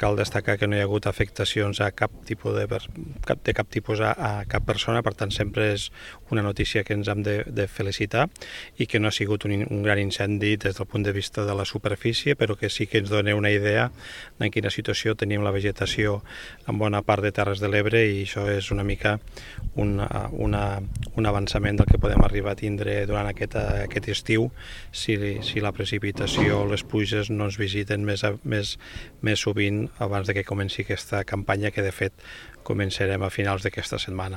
cal destacar que no hi ha hagut afectacions a cap tipus a cap persona, per tant sempre és una notícia que ens hem de felicitar i que no ha sigut un gran incendi des del punt de vista de la superfície, però que sí que ens dona una idea en quina situació tenim la vegetació en bona part de Terres de l'Ebre, i això és una mica un avançament del que podem arribar a tindre durant aquest estiu si la precipitació o les pluges no ens visiten més sovint abans de que comenci aquesta campanya, que de fet començarem a finals d'aquesta setmana.